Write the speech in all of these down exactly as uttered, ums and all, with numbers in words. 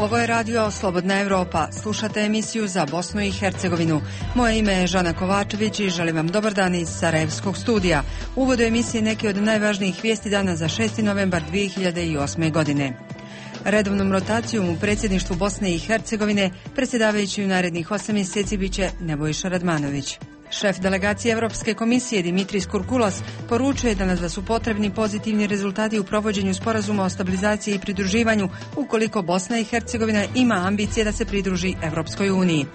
Ovo je radio Slobodna Evropa. Slušate emisiju za Bosnu i Hercegovinu. Moje ime je Žana Kovačević i želim vam dobar dan iz Sarajevskog studija. U uvodu emisije neki od najvažnijih vijesti dana za šesti novembar dvije hiljade osme. godine. Redovnom rotacijom u predsjedništvu Bosne i Hercegovine predsjedavajući u narednih osam mjeseci biće Nebojša Radmanović. Šef delegacije Europske komisije Dimitris Kurkulas poručuje danas da su potrebni pozitivni rezultati u provođenju sporazuma o stabilizaciji i pridruživanju ukoliko Bosna i Hercegovina ima ambicije da se pridruži Europskoj uniji.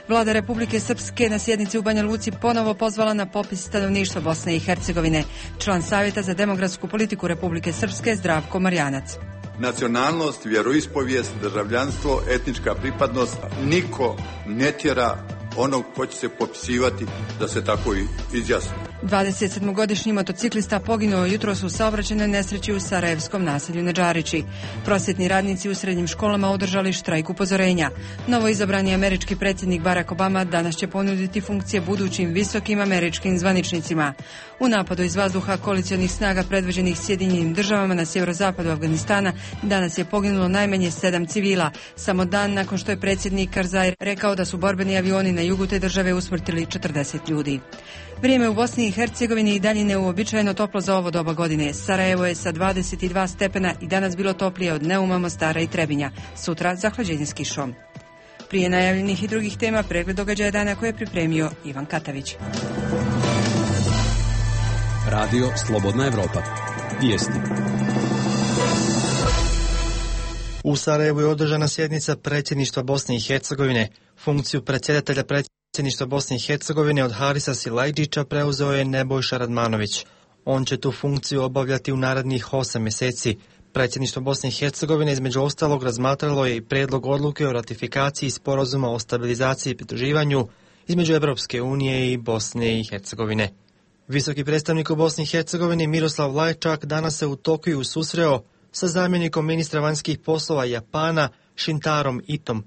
Vlada Republike Srpske na sjednici u Banja Luci ponovo pozvala na popis stanovništva Bosne i Hercegovine. Član Savjeta za demografsku politiku Republike Srpske Zdravko Marjanac. Nacionalnost, vjeroispovijest, državljanstvo, etnička pripadnost, niko ne tjera onog ko će se popisivati da se tako i izjasni. dvadesetsedmogodišnji motociklista poginuo jutros u saobraćajnoj nesreći u sarajevskom naselju Nedžarići. Prosvjetni radnici u srednjim školama održali štrajk upozorenja. Novo izabrani američki predsjednik Barack Obama danas će ponuditi funkcije budućim visokim američkim zvaničnicima. U napadu iz vazduha koalicionih snaga predvođenih Sjedinjenim državama na sjeverozapadu Afganistana danas je poginulo najmanje sedam civila, samo dan nakon što je predsjednik Karzai rekao da su borbeni avioni na jugu te države usmrtili četrdeset ljudi. Vrijeme u Bosni i Hercegovini i dalje neuobičajeno toplo za ovo doba godine. Sarajevo je sa dvadeset dva stepena i danas bilo toplije od Neuma, Mostara i Trebinja. Sutra zahlađenje s kišom. Prije najavljenih i drugih tema pregled događaja dana koje je pripremio Ivan Katavić. Radio Slobodna Evropa. Vijesti. U Sarajevu je održana sjednica predsjedništva Bosne i Hercegovine. Funkciju predsjedatelja predsjedništva Bosne i Hercegovine od Harisa Silajdžića preuzeo je Nebojša Radmanović. On će tu funkciju obavljati u narednih osam mjeseci. Predsjedništvo Bosne i Hercegovine između ostalog razmatralo je i prijedlog odluke o ratifikaciji sporazuma o stabilizaciji i pridruživanju između Europske unije i Bosne i Hercegovine. Visoki predstavnik u Bosni i Hercegovini Miroslav Lajčak danas se u Tokiju susreo sa zamjenikom ministra vanjskih poslova Japana Shintarom Itom.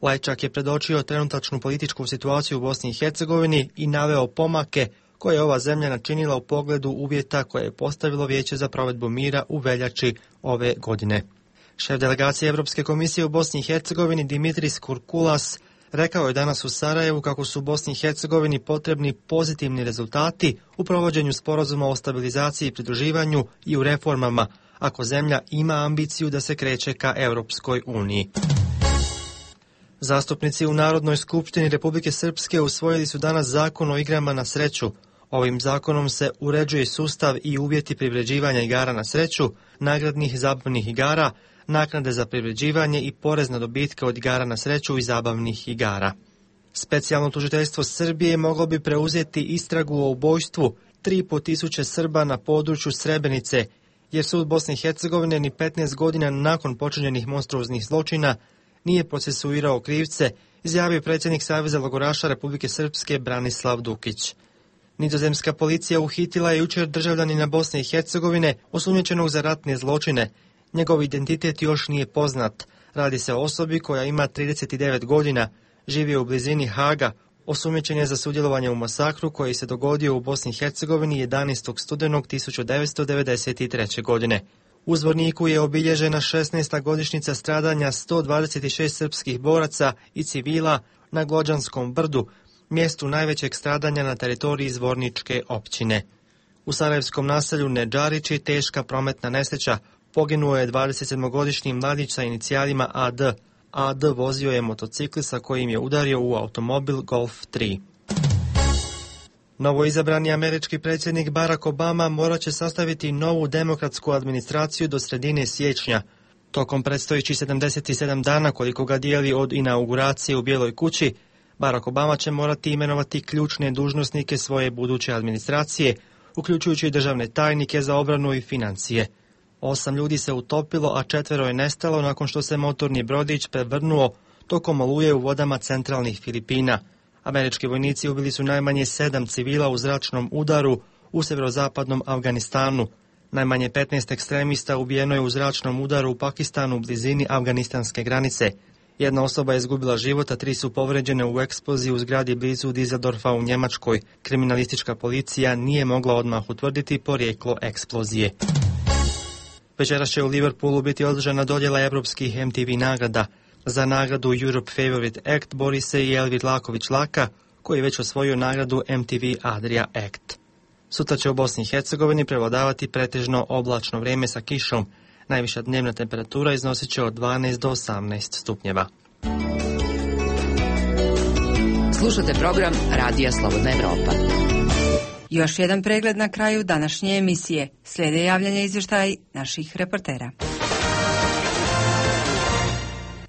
Lajčak je predočio trenutačnu političku situaciju u Bosni i Hercegovini i naveo pomake koje je ova zemlja načinila u pogledu uvjeta koje je postavilo Vijeće za provedbu mira u veljači ove godine. Šef delegacije Europske komisije u Bosni i Hercegovini Dimitris Kurkulas rekao je danas u Sarajevu kako su u Bosni i Hercegovini potrebni pozitivni rezultati u provođenju sporazuma o stabilizaciji i pridruživanju i u reformama, ako zemlja ima ambiciju da se kreće ka Europskoj uniji. Zastupnici u Narodnoj skupštini Republike Srpske usvojili su danas zakon o igrama na sreću. Ovim zakonom se uređuje sustav i uvjeti privređivanja igara na sreću, nagradnih i zabavnih igara, naknade za privređivanje i porez na dobitke od igara na sreću i zabavnih igara. Specijalno tužiteljstvo Srbije moglo bi preuzeti istragu o ubojstvu tri i pol tisuće Srba na području Srebrenice, jer sud Bosne i Hercegovine ni petnaest godina nakon počinjenih monstruoznih zločina nije procesuirao krivce, izjavio predsjednik Saveza logoraša Republike Srpske Branislav Dukić. Nizozemska policija uhitila je jučer državljanina Bosne i Hercegovine osumnjičenog za ratne zločine. Njegov identitet još nije poznat. Radi se o osobi koja ima trideset devet godina, živi u blizini Haga, osumnjičen je za sudjelovanje u masakru koji se dogodio u Bosni i Hercegovini jedanaestog studenog tisuću devetsto devedeset treće. godine. U Zvorniku je obilježena šesnaesta godišnjica stradanja sto dvadeset šest srpskih boraca i civila na Glođanskom brdu, mjestu najvećeg stradanja na teritoriji Zvorničke općine. U sarajevskom naselju Nedžarići teška prometna nesreća. Poginuo je dvadesetsedmogodišnji mladić sa inicijalima A D. A D vozio je motocikl sa kojim je udario u automobil Golf tri. Novoizabrani američki predsjednik Barack Obama morat će sastaviti novu demokratsku administraciju do sredine siječnja. Tokom predstojećih sedamdeset sedam dana koliko ga dijeli od inauguracije u Bijeloj kući, Barack Obama će morati imenovati ključne dužnosnike svoje buduće administracije, uključujući državne tajnike za obranu i financije. Osam ljudi se utopilo, a četvero je nestalo nakon što se motorni brodić prevrnuo tokom oluje u vodama centralnih Filipina. Američki vojnici ubili su najmanje sedam civila u zračnom udaru u severozapadnom Afganistanu. Najmanje petnaest ekstremista ubijeno je u zračnom udaru u Pakistanu u blizini afganistanske granice. Jedna osoba je izgubila život, a tri su povređene u eksploziji u zgradi blizu Düsseldorfa u Njemačkoj. Kriminalistička policija nije mogla odmah utvrditi porijeklo eksplozije. Večeras će u Liverpoolu biti održana dodjela evropskih M T V nagrada. Za nagradu Europe Favorite Act bori se i Elvid Laković Laka, koji je već osvojio nagradu M T V Adria Act. Sutra će u Bosni i Hercegovini prevladavati pretežno oblačno vrijeme sa kišom. Najviša dnevna temperatura iznosit će od dvanaest do osamnaest stupnjeva. Slušate program Radija Slobodna Evropa. Još jedan pregled na kraju današnje emisije. Slijede javljanja izvještaj naših reportera.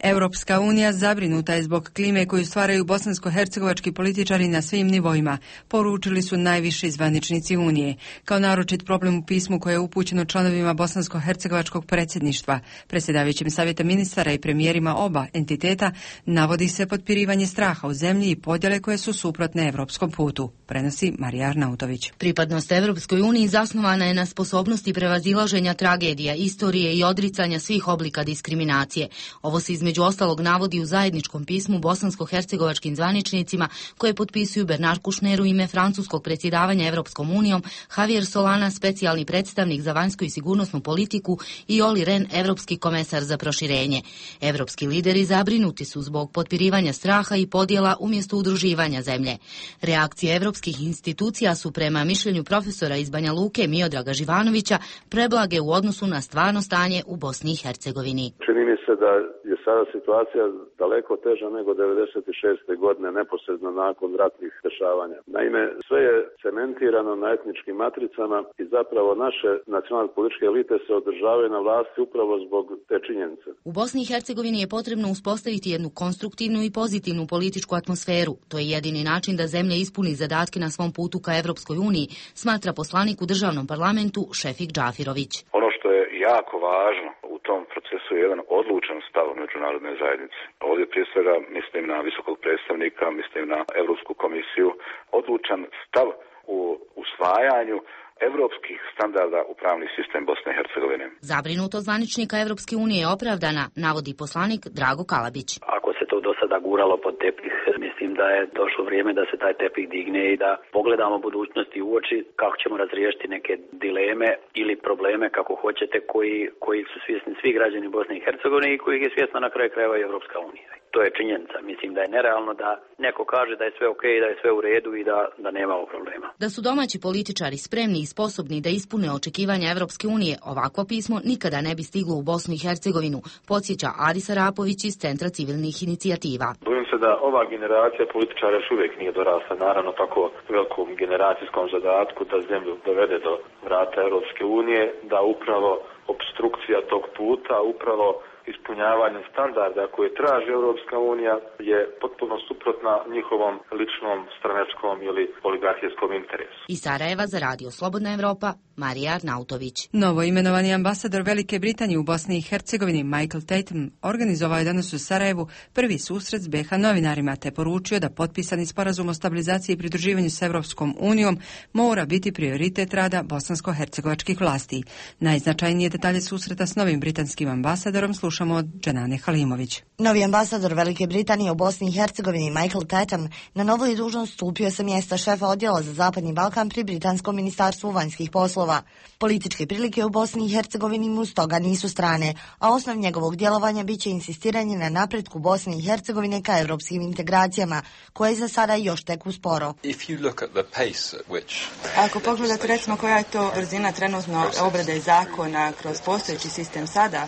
Europska unija zabrinuta je zbog klime koju stvaraju bosansko-hercegovački političari na svim nivoima, poručili su najviši zvaničnici Unije. Kao naročit problem u pismu koje je upućeno članovima bosansko-hercegovačkog predsjedništva, predsjedavajućim savjeta ministara i premijerima oba entiteta, navodi se potpirivanje straha u zemlji i podjele koje su suprotne evropskom putu, prenosi Marija Arnautović. Pripadnost Evropskoj uniji zasnovana je na sposobnosti prevazilaženja tragedija, istorije i odricanja svih oblika diskriminacije. Ovo se između Među ostalog navodi u zajedničkom pismu bosansko-hercegovačkim zvaničnicima koje potpisuju Bernard Kouchner u ime francuskog predsjedavanja Evropskom unijom, Javier Solana, specijalni predstavnik za vanjsku i sigurnosnu politiku i Olli Rehn, evropski komesar za proširenje. Evropski lideri zabrinuti su zbog potpirivanja straha i podjela umjesto udruživanja zemlje. Reakcije evropskih institucija su prema mišljenju profesora iz Banja Luke Miodraga Živanovića preblage u odnosu na stvarno stanje u Bosni i Hercegovini. Čini mi se da je sada situacija daleko teža nego devedeset šeste godine, neposredno nakon ratnih dešavanja. Naime, sve je cementirano na etničkim matricama i zapravo naše nacionalne političke elite se održavaju na vlasti upravo zbog te činjenice. U Bosni i Hercegovini je potrebno uspostaviti jednu konstruktivnu i pozitivnu političku atmosferu. To je jedini način da zemlja ispuni zadatke na svom putu ka Evropskoj uniji, smatra poslanik u državnom parlamentu Šefik Džafirović. Ono što je jako važno u tom procesu je jedan odlučan stav međunarodne zajednice. Ovdje prije svega mislim na visokog predstavnika, mislim na Europsku komisiju, odlučan stav u usvajanju evropskih standarda u pravni sistem Bosne i Hercegovine. Zabrinuto zvaničnika Evropske unije je opravdana, navodi poslanik Drago Kalabić. Ako se to do sada guralo pod tepih, mislim da je došlo vrijeme da se taj tepih digne i da pogledamo budućnosti u oči kako ćemo razriješiti neke dileme ili probleme, kako hoćete, koji, koji su svjesni svi građani Bosne i Hercegovine i kojih je svjesna na kraju krajeva i Evropska unija. To je činjenica. Mislim da je nerealno da neko kaže da je sve ok, da je sve u redu i da, da nemamo problema. Da su domaći političari spremni i sposobni da ispune očekivanja Evropske unije, ovakvo pismo nikada ne bi stiglo u Bosnu i Hercegovinu, podsjeća Adis Arapović iz Centra civilnih inicijativa. Bojim se da ova generacija političara još uvijek nije dorasla, naravno, tako velikom generacijskom zadatku da zemlju dovede do vrata Evropske unije, da upravo obstrukcija tog puta, upravo ispunjavanje standarda koje traži Europska unija je potpuno suprotna njihovom ličnom, stranačkom ili oligarhijskom interesu. Iz Sarajeva za Radio Slobodna Evropa, Marija Arnautović. Novo imenovani ambasador Velike Britanije u Bosni i Hercegovini Michael Tatum organizovao je danas u Sarajevu prvi susret s be ha novinarima te poručio da potpisani sporazum o stabilizaciji i pridruživanju s Evropskom unijom mora biti prioritet rada bosansko-hercegovačkih vlasti. Najznačajnije detalje susreta s novim britanskim ambasadorom slušamo od Džanane Halimović. Novi ambasador Velike Britanije u Bosni i Hercegovini Michael Tatum na novu je dužnost stupio sa mjesta šefa odjela za Zapadni Balkan pri Britanskom ministarstvu vanjskih poslova. Političke prilike u Bosni i Hercegovini mu stoga nisu strane, a osnov njegovog djelovanja biće insistiranje na napretku Bosne i Hercegovine ka evropskim integracijama, koje za sada još tek usporo. Ako pogledate recimo koja je to brzina trenutno obrade zakona kroz postojeći sistem sada,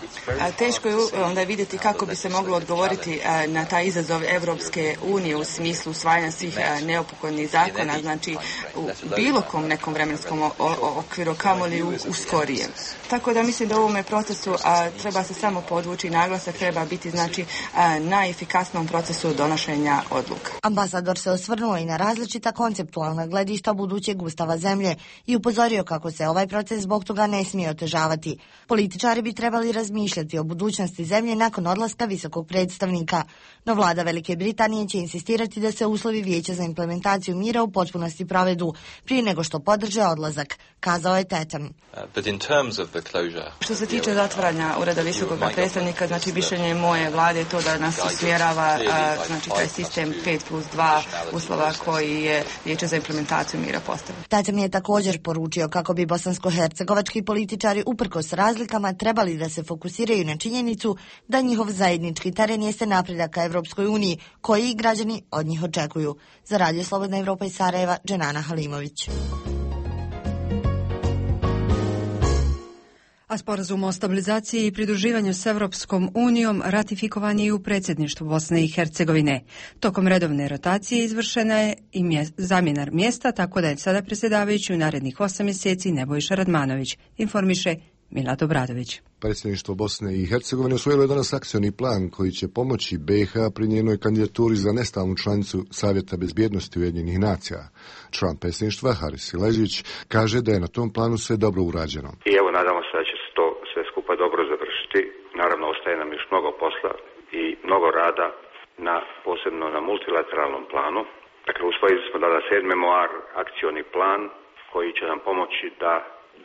teško je onda vidjeti kako bi se moglo odgovoriti na taj izazov Evropske unije u smislu usvajanja svih neophodnih zakona, znači u bilo kom nekom vremenskom okviru, kamoli u, u skorijem. Tako da mislim da u ovome procesu a, treba se samo podvući, naglasak treba biti znači a, na efikasnom procesu donošenja odluka. Ambasador se osvrnuo i na različita konceptualna gledišta budućeg ustava zemlje i upozorio kako se ovaj proces zbog toga ne smije otežavati. Političari bi trebali razmišljati o budućnosti zemlje nakon odlaska visokog predstavnika, no vlada Velike Britanije će insistirati da se uslovi Vijeća za implementaciju mira u potpunosti provedu prije nego što podrže odlazak, kazao je Tatum. Što se tiče zatvaranja ureda visokog predstavnika, znači mišljenje moje vlade je to da nas usmjerava znači taj sistem pet plus dva uslova koji je Vijeće za implementaciju mira postavio. Tatum je također poručio kako bi bosansko-hercegovački političari uprkos razlikama trebali da se fokusiraju na činjenicu činjenicu da njihov zajednički teren jeste napredak ka Evropskoj uniji, koji građani od njih očekuju. Za Radio Slobodna Evropa iz Sarajeva, Dženana Halimović. A sporazum o stabilizaciji i pridruživanju s Evropskom unijom ratifikovan je i u predsjedništvu Bosne i Hercegovine. Tokom redovne rotacije izvršena je i mje, zamjena mjesta, tako da je sada predsjedavajući u narednih osam mjeseci Nebojša Radmanović, informiše Milad Obradović. Predsjedništvo Bosne i Hercegovine usvojilo je danas akcioni plan koji će pomoći B iH pri njenoj kandidaturi za nestalnu članicu Savjeta bezbjednosti Ujedinjenih nacija. Član predsjedništva Haris Sileđić kaže da je na tom planu sve dobro urađeno. I evo nadamo se da će se to sve skupa dobro završiti. Naravno ostaje nam još mnogo posla i mnogo rada, na, posebno na multilateralnom planu. Dakle, usvojili smo danas sedmi memoar, akcioni plan koji će nam pomoći da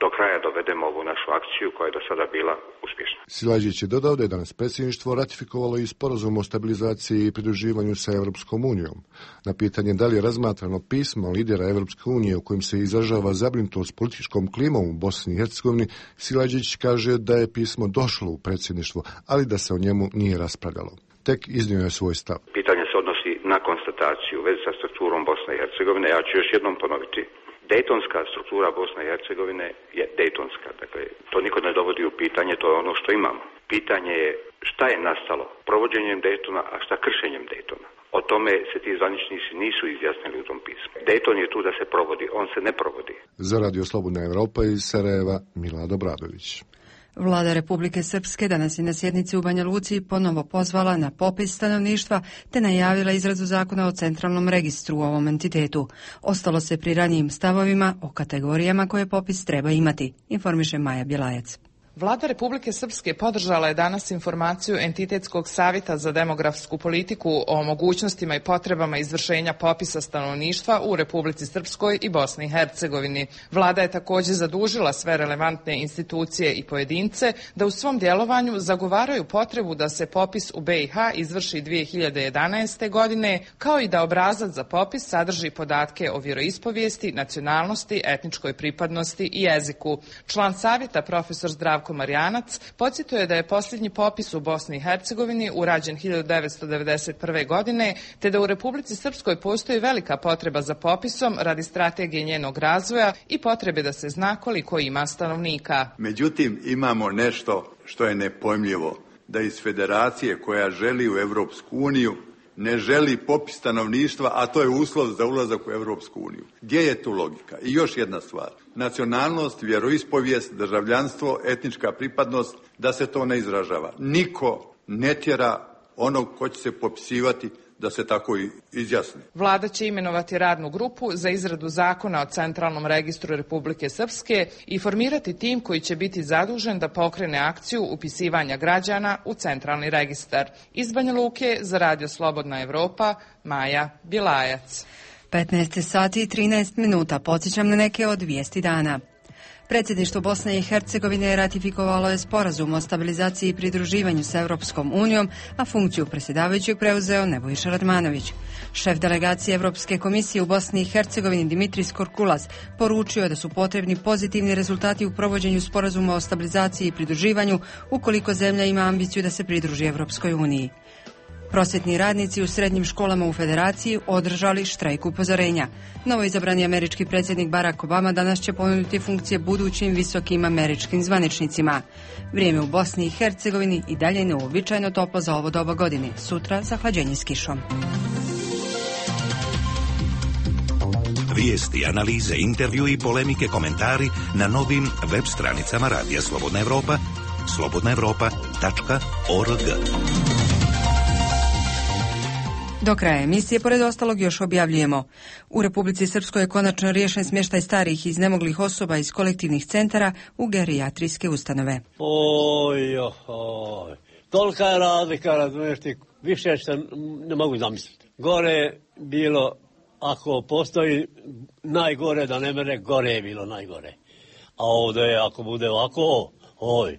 do kraja dovedemo ovu našu akciju koja je do sada bila uspješna. Silađić je dodao da je danas predsjedništvo ratifikovalo i sporazum o stabilizaciji i pridruživanju sa Evropskom unijom. Na pitanje da li je razmatrano pismo lidera Evropske unije u kojim se izražava zabrinutost političkom klimom u Bosni i Hercegovini, Silađić kaže da je pismo došlo u predsjedništvo, ali da se o njemu nije raspravljalo. Tek iznio je svoj stav. Pitanje se odnosi na konstataciju u vezi sa strukturom Bosne i Hercegovine. Ja ću još jednom ponoviti. Dejtonska struktura Bosne i Hercegovine je dejtonska, dakle to niko ne dovodi u pitanje, to je ono što imamo. Pitanje je šta je nastalo provođenjem Dejtona, a šta kršenjem Dejtona. O tome se ti zvaničnici nisu izjasnili u tom pismu. Dejton je tu da se provodi, on se ne provodi. Za Radio Slobodna Evropa iz Sarajeva, Milad Obradović. Vlada Republike Srpske danas je na sjednici u Banja Luci ponovo pozvala na popis stanovništva te najavila izradu zakona o centralnom registru u ovom entitetu. Ostalo se pri ranijim stavovima o kategorijama koje popis treba imati, informiše Maja Bjelajac. Vlada Republike Srpske podržala je danas informaciju Entitetskog savjeta za demografsku politiku o mogućnostima i potrebama izvršenja popisa stanovništva u Republici Srpskoj i Bosni i Hercegovini. Vlada je također zadužila sve relevantne institucije i pojedince da u svom djelovanju zagovaraju potrebu da se popis u B iH izvrši dvije hiljade jedanaeste. godine, kao i da obrazac za popis sadrži podatke o vjeroispovijesti, nacionalnosti, etničkoj pripadnosti i jeziku. Član savjeta profesor Zdravko Marjanac podsjetio je da je posljednji popis u Bosni i Hercegovini urađen hiljadu devetsto devedeset prve. godine, te da u Republici Srpskoj postoji velika potreba za popisom radi strategije njenog razvoja i potrebe da se zna koliko ima stanovnika. Međutim, imamo nešto što je nepojmljivo, da iz federacije koja želi u Evropsku uniju ne želi popis stanovništva, a to je uslov za ulazak u Evropsku uniju. Gdje je tu logika? I još jedna stvar. Nacionalnost, vjeroispovijest, državljanstvo, etnička pripadnost, da se to ne izražava. Niko ne tjera onog ko će se popisivati da se tako i izjasni. Vlada će imenovati radnu grupu za izradu zakona o centralnom registru Republike Srpske i formirati tim koji će biti zadužen da pokrene akciju upisivanja građana u centralni registar. Iz Banja Luke za Radio Slobodna Evropa, Maja Bjelajac. petnaest sati i trinaest minuta. Podsjećam na neke od vijesti dana. Predsjedništvo Bosne i Hercegovine ratifikovalo je sporazum o stabilizaciji i pridruživanju s Evropskom unijom, a funkciju predsjedavajućeg preuzeo Nebojša Radmanović. Šef delegacije Evropske komisije u Bosni i Hercegovini Dimitris Korkulas poručio je da su potrebni pozitivni rezultati u provođenju sporazuma o stabilizaciji i pridruživanju ukoliko zemlja ima ambiciju da se pridruži Evropskoj uniji. Prosvjetni radnici u srednjim školama u Federaciji održali štrajk upozorenja. Novoizabrani američki predsjednik Barack Obama danas će ponuditi funkcije budućim visokim američkim zvaničnicima. Vrijeme u Bosni i Hercegovini i dalje neuobičajeno toplo za ovo doba godine. Sutra zahlađenje s kišom. Vijesti, analize, intervju i polemike, komentari na novim web stranicama Radija Slobodna Evropa, slobodna evropa tačka org. Do kraja emisije, pored ostalog, još objavljujemo. U Republici Srpskoj je konačno riješen smještaj starih i iznemoglih osoba iz kolektivnih centara u gerijatrijske ustanove. Oj, oj, tolika je razlika, razumiješ ti, više što ne mogu zamisliti. Gore bilo, ako postoji najgore, da ne mere, gore je bilo najgore. A ovdje, ako bude ovako, oj,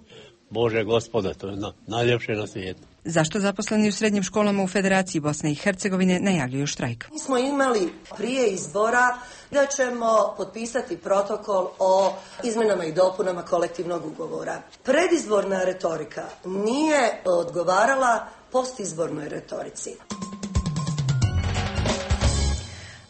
Bože Gospode, to je na, najljepše na svijetu. Zašto zaposleni u srednjim školama u Federaciji Bosne i Hercegovine najavljuju štrajk? Mi smo imali prije izbora da ćemo potpisati protokol o izmenama i dopunama kolektivnog ugovora. Predizborna retorika nije odgovarala postizbornoj retorici.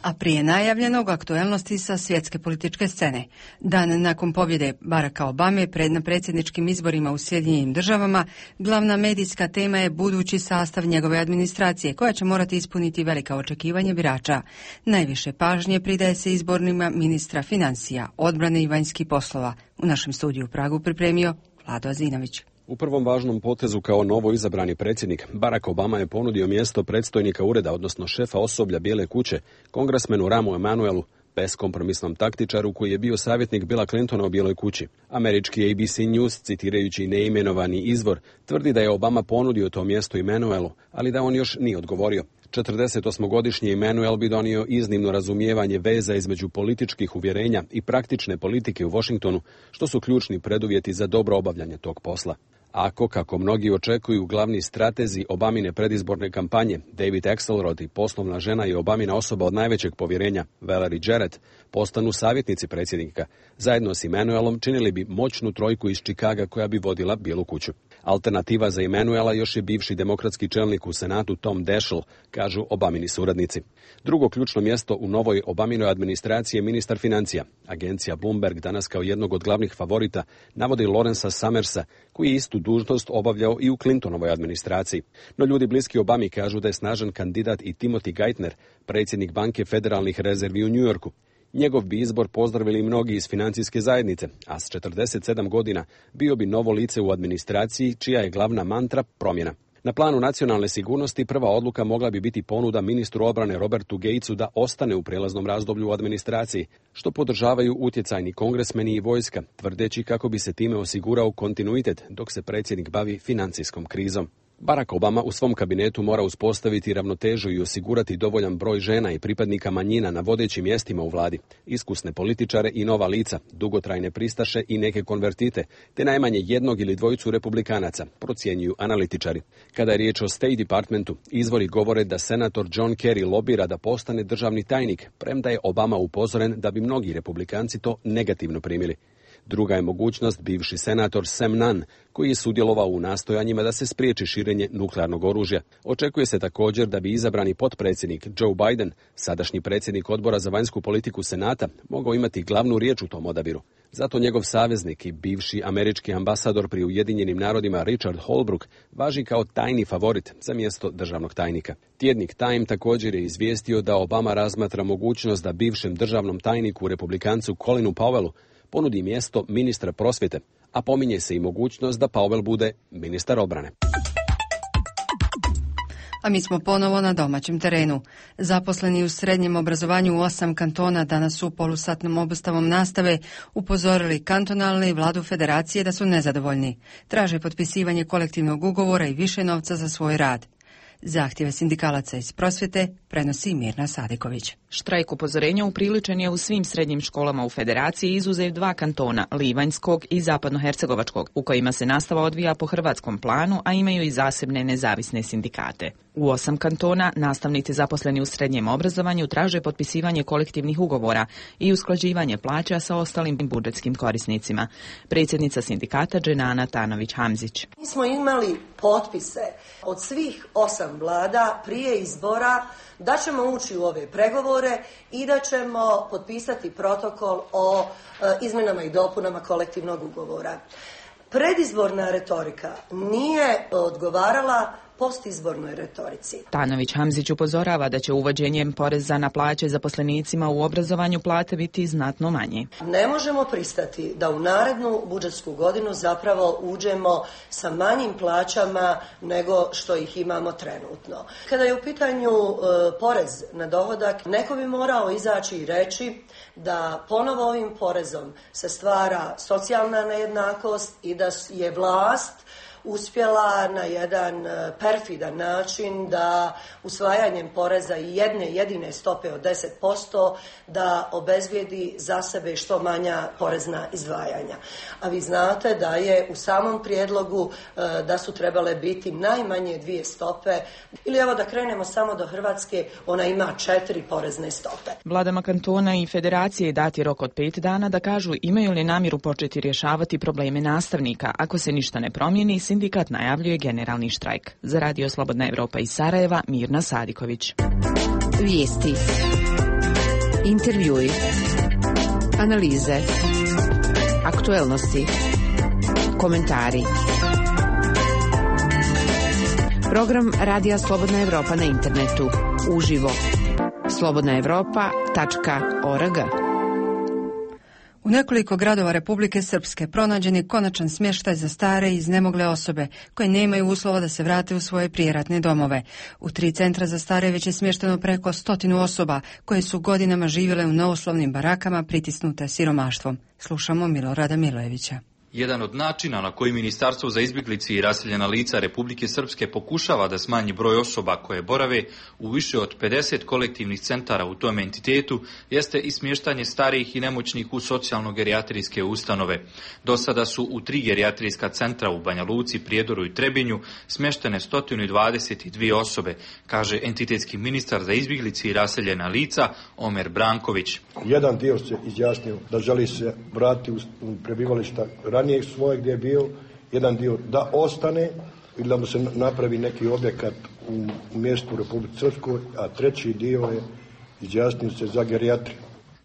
A prije najavljenog aktuelnosti sa svjetske političke scene. Dan nakon pobjede Baracka Obame pred na predsjedničkim izborima u Sjedinjenim državama, glavna medijska tema je budući sastav njegove administracije, koja će morati ispuniti velika očekivanja birača. Najviše pažnje pridaje se izbornima ministra financija, odbrane i vanjskih poslova. U našem studiju u Pragu pripremio Vlado Azinović. U prvom važnom potezu kao novo izabrani predsjednik, Barack Obama je ponudio mjesto predstojnika ureda, odnosno šefa osoblja Bijele kuće, kongresmenu Ramu Emanuelu, beskompromisnom taktičaru koji je bio savjetnik Billa Clintona u Bijeloj kući. Američki A B C News, citirajući neimenovani izvor, tvrdi da je Obama ponudio to mjesto Emanuelu, ali da on još nije odgovorio. četrdesetosmogodišnji Emanuel bi donio iznimno razumijevanje veza između političkih uvjerenja i praktične politike u Washingtonu, što su ključni preduvjeti za dobro obavljanje tog posla. Ako, kako mnogi očekuju, glavni stratezi Obamine predizborne kampanje, David Axelrod i poslovna žena i Obamina osoba od najvećeg povjerenja, Valerie Jarrett, postanu savjetnici predsjednika, zajedno s Emanuelom činili bi moćnu trojku iz Čikaga koja bi vodila Bijelu kuću. Alternativa za Emanuela još je bivši demokratski čelnik u Senatu Tom Daschle, kažu Obamini suradnici. Drugo ključno mjesto u novoj Obaminoj administraciji je ministar financija. Agencija Bloomberg danas kao jednog od glavnih favorita navodi Lawrencea Summersa, koji je istu dužnost obavljao i u Clintonovoj administraciji. No ljudi bliski Obami kažu da je snažan kandidat i Timothy Geithner, predsjednik banke federalnih rezervi u New Yorku. Njegov bi izbor pozdravili mnogi iz financijske zajednice, a s četrdeset sedam godina bio bi novo lice u administraciji čija je glavna mantra promjena. Na planu nacionalne sigurnosti prva odluka mogla bi biti ponuda ministru obrane Robertu Gatesu da ostane u prijelaznom razdoblju u administraciji, što podržavaju utjecajni kongresmeni i vojska, tvrdeći kako bi se time osigurao kontinuitet dok se predsjednik bavi financijskom krizom. Barack Obama u svom kabinetu mora uspostaviti ravnotežu i osigurati dovoljan broj žena i pripadnika manjina na vodećim mjestima u vladi, iskusne političare i nova lica, dugotrajne pristaše i neke konvertite, te najmanje jednog ili dvojicu republikanaca, procjenjuju analitičari. Kada je riječ o State Departmentu, izvori govore da senator John Kerry lobira da postane državni tajnik, premda je Obama upozoren da bi mnogi republikanci to negativno primili. Druga je mogućnost bivši senator Sam Nunn, koji je sudjelovao u nastojanjima da se spriječi širenje nuklearnog oružja. Očekuje se također da bi izabrani potpredsjednik Joe Biden, sadašnji predsjednik odbora za vanjsku politiku Senata, mogao imati glavnu riječ u tom odabiru. Zato njegov saveznik i bivši američki ambasador pri Ujedinjenim narodima Richard Holbrooke važi kao tajni favorit za mjesto državnog tajnika. Tjednik Time također je izvijestio da Obama razmatra mogućnost da bivšem državnom tajniku republikancu Colinu Powellu ponudi mjesto ministra prosvjete, a pominje se i mogućnost da Powell bude ministar obrane. A mi smo ponovo na domaćem terenu. Zaposleni u srednjem obrazovanju u osam kantona danas su polusatnom obustavom nastave upozorili kantonalne i vladu federacije da su nezadovoljni. Traže potpisivanje kolektivnog ugovora i više novca za svoj rad. Zahtjeve sindikalaca iz prosvjete prenosi Mirna Sadiković. Štrajk upozorenja upriličen je u svim srednjim školama u Federaciji, izuzev dva kantona, Livanjskog i Zapadnohercegovačkog, u kojima se nastava odvija po hrvatskom planu, a imaju i zasebne nezavisne sindikate. U osam kantona nastavnici zaposleni u srednjem obrazovanju traže potpisivanje kolektivnih ugovora i usklađivanje plaća sa ostalim budžetskim korisnicima. Predsjednica sindikata Dženana Tanović-Hamzić. Mi smo imali potpise od svih osam vlada prije izbora da ćemo ući u ove pregovore i da ćemo potpisati protokol o e, izmjenama i dopunama kolektivnog ugovora. Predizborna retorika nije odgovarala postizbornoj retorici. Tanović-Hamzić upozorava da će uvođenjem poreza na plaće zaposlenicima u obrazovanju plate biti znatno manje. Ne možemo pristati da u narednu budžetsku godinu zapravo uđemo sa manjim plaćama nego što ih imamo trenutno. Kada je u pitanju e, porez na dohodak, neko bi morao izaći i reći da ponovo ovim porezom se stvara socijalna nejednakost i da je vlast uspjela na jedan perfidan način da usvajanjem poreza i jedne jedine stope od deset posto da obezvijedi za sebe što manja porezna izdvajanja. A vi znate da je u samom prijedlogu da su trebale biti najmanje dvije stope, ili evo da krenemo samo do Hrvatske, ona ima četiri porezne stope. Vladama kantona i federacije dati rok od pet dana da kažu imaju li namjeru početi rješavati probleme nastavnika. Ako se ništa ne promijeni, sindikat najavljuje generalni štrajk. Za Radio Slobodna Evropa iz Sarajeva, Mirna Sadiković. Vijesti, intervjui, analize, aktuelnosti, komentari. Program Radija Slobodna Evropa na internetu. Uživo. slobodna evropa tačka org. U nekoliko gradova Republike Srpske pronađen je konačan smještaj za stare i iznemogle osobe koje nemaju uslova da se vrate u svoje prijeratne domove. U tri centra za stare već je smješteno preko stotinu osoba koje su godinama živjele u neuslovnim barakama pritisnute siromaštvom. Slušamo Milorada Milojevića. Jedan od načina na koji Ministarstvo za izbjeglice i raseljena lica Republike Srpske pokušava da smanji broj osoba koje borave u više od pedeset kolektivnih centara u tom entitetu jeste i smještanje starijih i nemoćnih u socijalno-gerijatrijske ustanove. Do sada su u tri gerijatrijska centra u Banja Luci, Prijedoru i Trebinju smještene sto dvadeset dvije osobe, kaže entitetski ministar za izbjeglice i raseljena lica Omer Branković. Jedan dio se izjasnio da želi se vratiti u prebivališta ranijeg svoje gdje je bio, jedan dio da ostane ili da mu se napravi neki objekat u mjestu u Republici Srpskoj, a treći dio je izjasnio se za gerijatriju.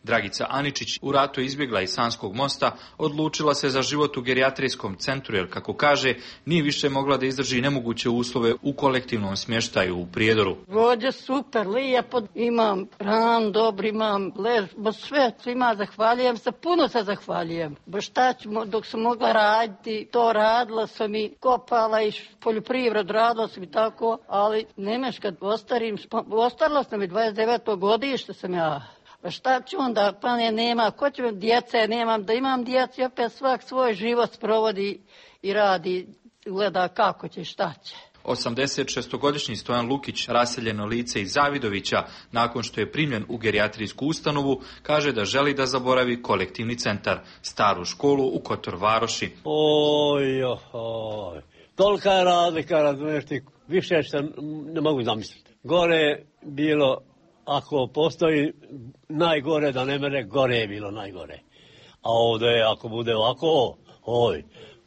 Dragica Aničić u ratu izbjegla iz Sanskog mosta, odlučila se za život u gerijatrijskom centru jer, kako kaže, nije više mogla da izdrži nemoguće uslove u kolektivnom smještaju u Prijedoru. Vođe super, lijepo, imam ran, dobro, imam lež, baš sve, svima zahvaljujem se, puno se zahvaljujem. Baš šta ću, dok sam mogla raditi, to radila sam i kopala i poljoprivred, radila sam i tako, ali nemaš kad ostarim, ostarila sam i dvadeset deveto godište sam ja. Šta ću onda, pa ne, nema, ko će djece, nemam, da imam djeci, opet svak svoj život sprovodi i radi, gleda kako će, šta će. osamdeset šestogodišnji Stojan Lukić, raseljeno lice iz Zavidovića, nakon što je primljen u gerijatrijsku ustanovu, kaže da želi da zaboravi kolektivni centar, staru školu u Kotor Varoši. Oj, oj, tolika je razlika, razumiješ ti, više što ne mogu zamisliti. Gore je bilo, ako postoji najgore da ne mere, gore je bilo najgore. A ovdje je, ako bude ovako, oj,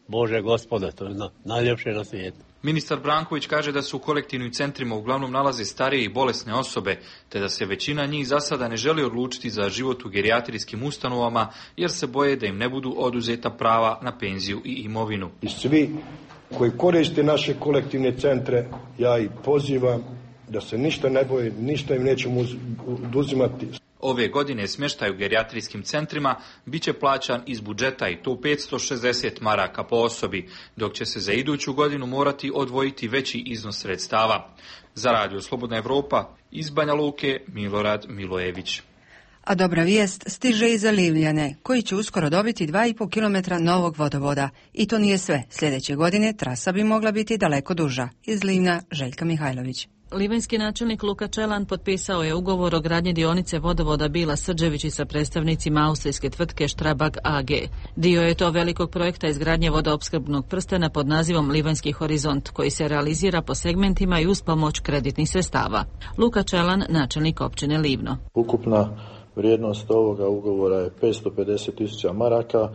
Bože Gospode, to je na, najljepše na svijetu. Ministar Branković kaže da se u kolektivnim centrima uglavnom nalaze starije i bolesne osobe, te da se većina njih za sada ne želi odlučiti za život u gerijatrijskim ustanovama, jer se boje da im ne budu oduzeta prava na penziju i imovinu. I svi koji koriste naše kolektivne centre, ja ih pozivam da se ništa ne boje, ništa im nećemo oduzimati. Ove godine smještaj u gerijatrijskim centrima bit će plaćan iz budžeta i to petsto šezdeset maraka po osobi, dok će se za iduću godinu morati odvojiti veći iznos sredstava. Za Radio Slobodna Evropa iz Banja Luke, Milorad Milojević. A dobra vijest stiže i za Livljane, koji će uskoro dobiti dva i pol kilometra novog vodovoda. I to nije sve. Sljedeće godine trasa bi mogla biti daleko duža. Iz Livna, Željka Mihajlović. Livanjski načelnik Luka Čelan potpisao je ugovor o gradnji dionice vodovoda Bila Srđevići sa predstavnicima austrijske tvrtke Strabag A G. Dio je to velikog projekta izgradnje vodoopskrbnog prstena pod nazivom Livanjski horizont, koji se realizira po segmentima i uz pomoć kreditnih sredstava. Luka Čelan, načelnik općine Livno. Ukupna vrijednost ovoga ugovora je petsto pedeset tisuća maraka.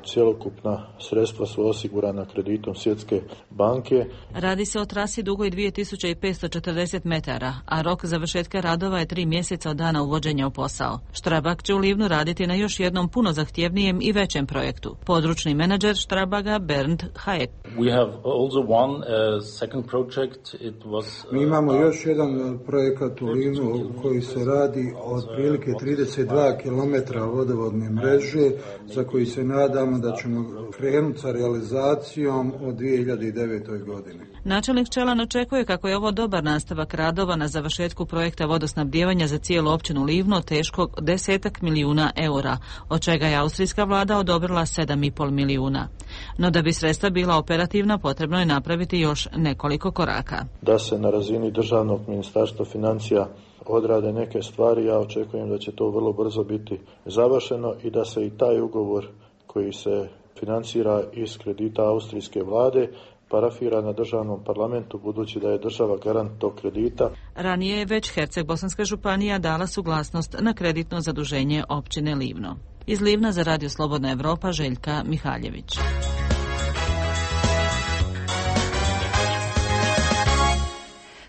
Cjelokupna sredstva su osigurana kreditom Svjetske banke. Radi se o trasi dugoj dvije tisuće petsto četrdeset metara, a rok završetka radova je tri mjeseca od dana uvođenja u posao. Strabag će u Livnu raditi na još jednom puno zahtjevnijem i većem projektu. Područni menadžer Strabaga Bernd Hayek. We have also one uh, second project. It was, uh, Mi imamo još jedan projekat u Livnu koji se radi od prilike trideset dva kilometra vodovodne mreže, za koji se nada nadamo da ćemo krenuti sa realizacijom od dvije hiljade devete. godine. Načelnik Čelan očekuje kako je ovo dobar nastavak radova na završetku projekta vodosnabdijevanja za cijelu općinu Livno teškog desetak milijuna eura, od čega je austrijska vlada odobrila sedam i pol milijuna. No da bi sredstva bila operativna, potrebno je napraviti još nekoliko koraka. Da se na razini državnog ministarstva financija odrade neke stvari, ja očekujem da će to vrlo brzo biti završeno i da se i taj ugovor koji se financira iz kredita austrijske vlade parafira na državnom parlamentu, budući da je država garant tog kredita. Ranije je već Herceg-Bosanska županija dala suglasnost na kreditno zaduženje općine Livno. Iz Livna za Radio Slobodna Evropa, Željka Mihaljević.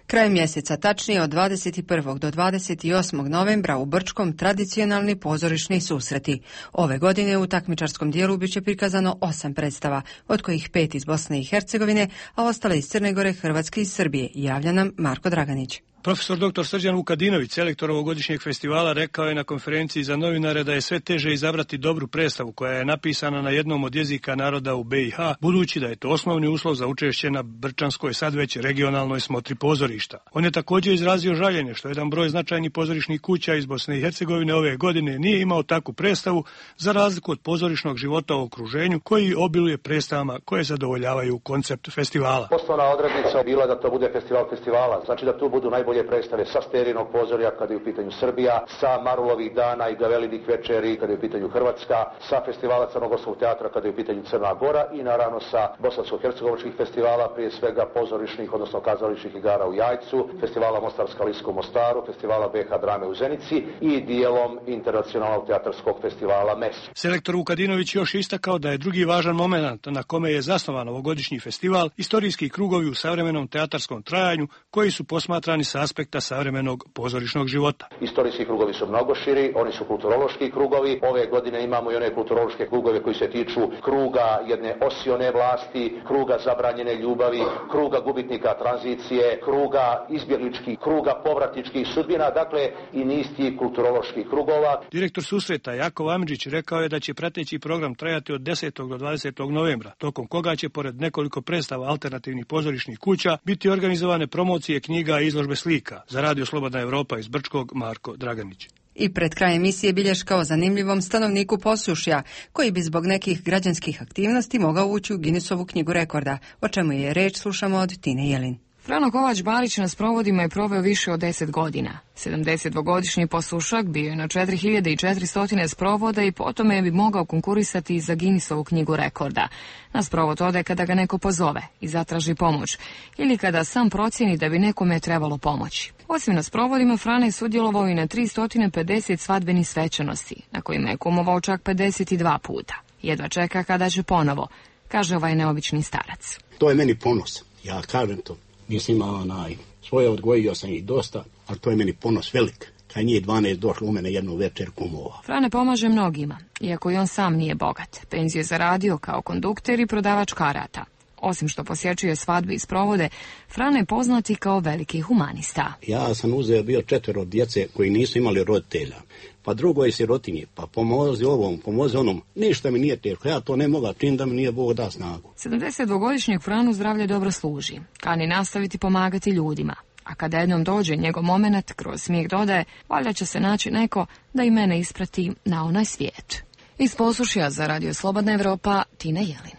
Kraj mjeseca, tačnije od dvadeset prvog do dvadeset osmog novembra u Brčkom tradicionalni pozorišni susreti. Ove godine u takmičarskom dijelu bit će prikazano osam predstava, od kojih pet iz Bosne i Hercegovine, a ostale iz Crne Gore, Hrvatske i Srbije, javlja nam Marko Draganić. Profesor doktor Srđan Vukadinović, selektor ovogodišnjeg festivala, rekao je na konferenciji za novinare da je sve teže izabrati dobru predstavu koja je napisana na jednom od jezika naroda u be i ha, budući da je to osnovni uslov za učešće na brčanskoj, sad već regionalnoj smotri pozorišta. On je također izrazio žaljenje što jedan broj značajnih pozorišnih kuća iz Bosne i Hercegovine ove godine nije imao takvu predstavu, za razliku od pozorišnog života u okruženju koji obiluje predstavama koje zadovoljavaju koncept festivala. Osnovna odrednica je bila da to bude festival festivala, znači da tu budu najbolje predstave sa Sterinog pozorja kada je u pitanju Srbija, sa Marulovih dana i Gavelinih večeri kada je u pitanju Hrvatska, sa festivala Crnogorskog teatra kada je u pitanju Crna Gora i naravno sa bosansko-hercegovačkih festivala, prije svega pozorišnih, odnosno kazališnih igara u Jajcu, festivala Mostarska Liska u Mostaru, festivala be ha drame u Zenici i dijelom internacionalnog teatarskog festivala mes. Selektor Vukadinović još istakao da je drugi važan moment na kome je zasnovan ovogodišnji festival istorijski krugovi u savremenom teatarskom trajanju koji su posmatrani sa aspekta savremenog pozorišnog života. Istorijski krugovi su mnogo širi, oni su kulturološki krugovi. Ove godine imamo i one kulturološke krugove koji se tiču kruga jedne osione vlasti, kruga zabranjene ljubavi, kruga gubitnika tranzicije, kruga izbjegličkih, kruga povratničkih sudbina, dakle i niz tih kulturoloških krugova. Direktor susreta Jakov Amidžić rekao je da će prateći program trajati od desetog do dvadesetog novembra, tokom koga će pored nekoliko predstava alternativnih pozorišnih kuća biti organizovane promocije knjiga i izložbe slika. Za Radio Slobodna Evropa iz Brčkog, Marko Draganić. I pred kraj emisije bilješka o zanimljivom stanovniku Posušja, koji bi zbog nekih građanskih aktivnosti mogao ući u Guinnessovu knjigu rekorda. O čemu je reč, slušamo od Tine Jelin. Frano Kovač Barić na sprovodima je proveo više od deset godina. sedamdesetdvogodišnji Posušak bio je na četiri hiljade četiristo sprovoda i potome bi mogao konkurisati za Guinnessovu knjigu rekorda. Na sprovod ode kada ga neko pozove i zatraži pomoć, ili kada sam procijeni da bi nekome trebalo pomoći. Osim na sprovodima, Frana je sudjelovao i na tristo pedeset svadbenih svečanosti, na kojima je kumovao čak pedeset dva puta. Jedva čeka kada će ponovo, kaže ovaj neobični starac. To je meni ponos, ja kažem to. Nisam imao onaj, svoje odgojio sam ih dosta, ali to je meni ponos velik. Kad njih dvanaest došlo u mene jednu večer kumova. Frane pomaže mnogima, iako i on sam nije bogat. Penziju je zaradio kao kondukter i prodavač karata. Osim što posjećuje svadbe i sprovode, Frane je poznati kao veliki humanista. Ja sam uzeo bio četvero djece koji nisu imali roditelja. Pa drugo je sirotinje, pa pomozi ovom, pomozi onom. Ništa mi nije teško, ja to ne mogu čim da mi nije Bog da snagu. sedamdesetdvogodišnjeg Franu zdravlje dobro služi. Kani nastaviti pomagati ljudima. A kada jednom dođe njegov moment, kroz smijeh dodaje, valjda će se naći neko da i mene isprati na onaj svijet. Iz Posušja za Radio Slobodna Evropa, Tina Jelin.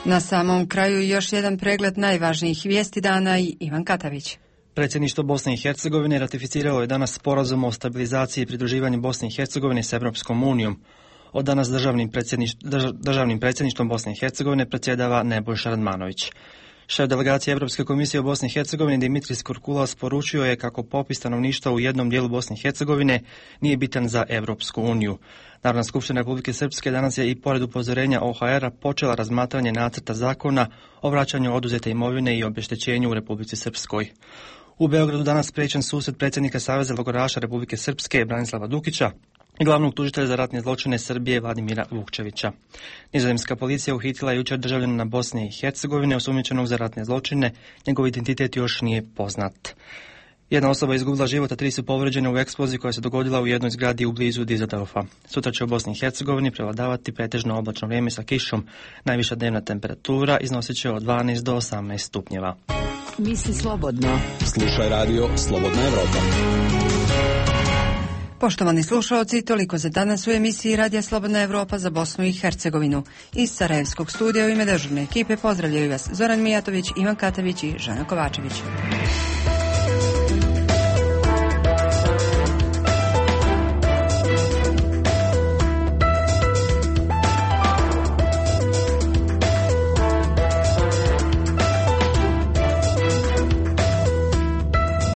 Na samom kraju još jedan pregled najvažnijih vijesti dana i Ivan Katavić. Predsjedništvo Bosne i Hercegovine ratificiralo je danas sporazum o stabilizaciji i pridruživanju Bosne i Hercegovine s Europskom unijom. Od danas državnim, predsjedniš, državnim predsjedništvom Bosne i Hercegovine predsjedava Nebojša Radmanović. Šef delegacije Europske komisije u Bosni i Hercegovini Dimitris Kurkulas poručio je kako popis stanovništva u jednom dijelu Bosne i Hercegovine nije bitan za Europsku uniju. Narodna skupština Republike Srpske danas je i pored upozorenja O H R-a počela razmatranje nacrta zakona o vraćanju oduzete imovine i obeštećenju u Republici Srpskoj. U Beogradu danas spriječen susret predsjednika Saveza logoraša Republike Srpske Branislava Dukića i glavnog tužitelja za ratne zločine Srbije Vladimira Vukčevića. Nizozemska policija uhitila je jučer državljanina Bosne i Hercegovine osumnjičenog za ratne zločine, njegov identitet još nije poznat. Jedna osoba je izgubila život, a tri su povređene u eksploziji koja se dogodila u jednoj zgradi u blizu Dizeldorfa. Sutra će u Bosni i Hercegovini prevladavati pretežno oblačno vrijeme sa kišom. Najviša dnevna temperatura iznosit će od dvanaest do osamnaest stupnjeva. Misli slobodno. Slušaj radio Slobodna Evropa. Poštovani slušalci, toliko za danas u emisiji Radija Slobodna Evropa za Bosnu i Hercegovinu. Iz Sarajevskog studija u ime dežurne ekipe pozdravljaju vas Zoran Mijatović, Ivan Katavić i Žana Kovačević.